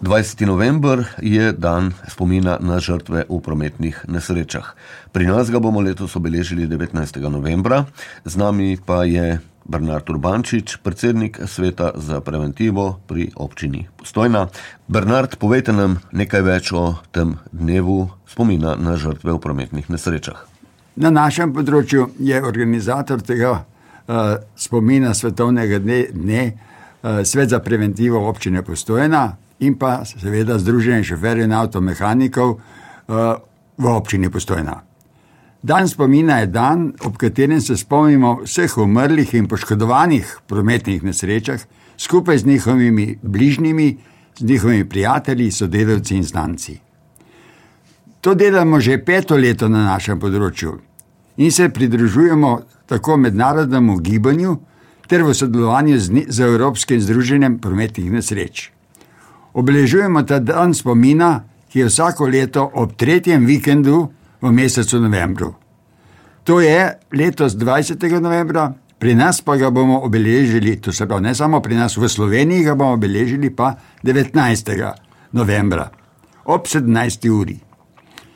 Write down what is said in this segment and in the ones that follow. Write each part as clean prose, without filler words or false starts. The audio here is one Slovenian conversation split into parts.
20. november je dan spomina na žrtve v prometnih nesrečah. Pri nas ga bomo letos obeležili 19. novembra. Z nami pa je Bernard Urbančič, predsednik Sveta za preventivo pri občini Postojna. Bernard, povejte nam nekaj več o tem dnevu spomina na žrtve v prometnih nesrečah. Na našem področju je organizator tega spomina svetovnega dne Svet za preventivo občine Postojna in pa seveda Združenje šoferjev in avtomehanikov v občini Postojna. Dan spomina je dan, ob katerem se spomnimo vseh umrlih in poškodovanih prometnih nesrečah, skupaj z njihovimi bližnjimi, z njihovimi prijatelji, sodelavci in znanci. To delamo že 5. leto na našem področju in se pridružujemo tako mednarodnemu gibanju ter v sodelovanju z Evropskim združenjem prometnih nesreč. Obeležujemo ta dan spomina, ki je vsako leto ob 3. vikendu v mesecu novembru. To je letos 20. novembra, pri nas pa ga bomo obeležili, to se pravi ne samo pri nas, v Sloveniji ga bomo obeležili pa 19. novembra ob 17. uri.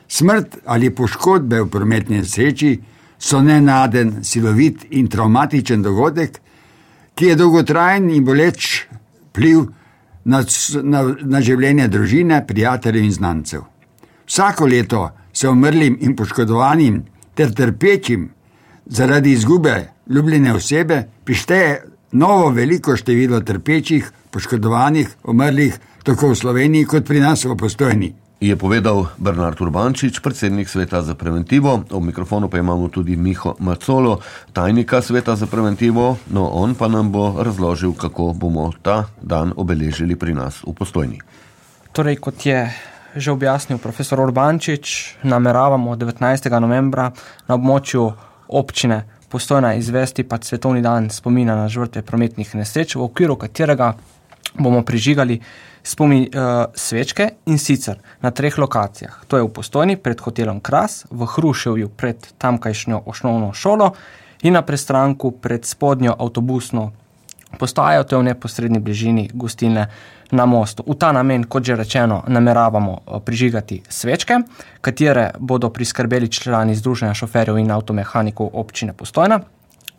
Smrt ali poškodbe v prometni nesreči so nenaden, silovit in travmatičen dogodek, ki je dolgotrajen in boleč vpliv na življenje družine, prijateljev in znancev. Vsako leto se umrlim in poškodovanim ter trpečim zaradi izgube ljubljene osebe prišteje novo veliko število trpečih, poškodovanih, umrlih tako v Sloveniji kot pri nas v Postojni. Je povedal Bernard Urbančič, predsednik Sveta za preventivo. Ob mikrofonu pa imamo tudi Miho Macolo, tajnika Sveta za preventivo. No, on pa nam bo razložil, kako bomo ta dan obeležili pri nas v Postojni. Torej, kot je že objasnil profesor Urbančič, nameravamo 19. novembra na območju občine Postojna izvesti pa svetovni dan spomina na žrtve prometnih nesreč, v okviru katerega bomo prižigali svečke in sicer na 3 lokacijah. To je v Postojni pred hotelom Kras, v Hruševju pred tamkajšnjo osnovno šolo in na Prestranku pred spodnjo avtobusno postajo, to je v neposredni bližini gostilne na Mostu. V ta namen, kot že rečeno, nameravamo prižigati svečke, katere bodo priskrbeli člani Združenja šoferjev in avtomehanikov občine Postojna.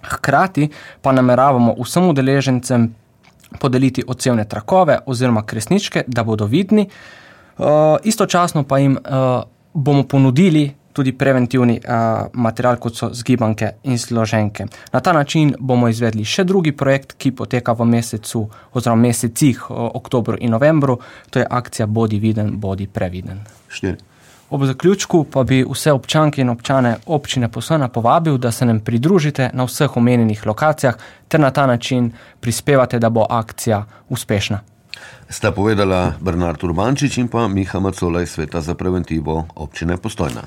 Hkrati pa nameravamo vsem udeležencem podeliti odsevne trakove oziroma kresničke, da bodo vidni. Istočasno pa jim bomo ponudili tudi preventivni material, kot so zgibanke in složenke. Na ta način bomo izvedli še drugi projekt, ki poteka v mesecu oziroma mesecih oktobru in novembru. To je akcija Bodi viden, bodi previden. 4. Ob zaključku pa bi vse občanke in občane občine Postojna povabil, da se nam pridružite na vseh omenjenih lokacijah ter na ta način prispevate, da bo akcija uspešna. Sta povedala Bernard Urbančič in pa Miha Macola iz Sveta za preventivo občine Postojna.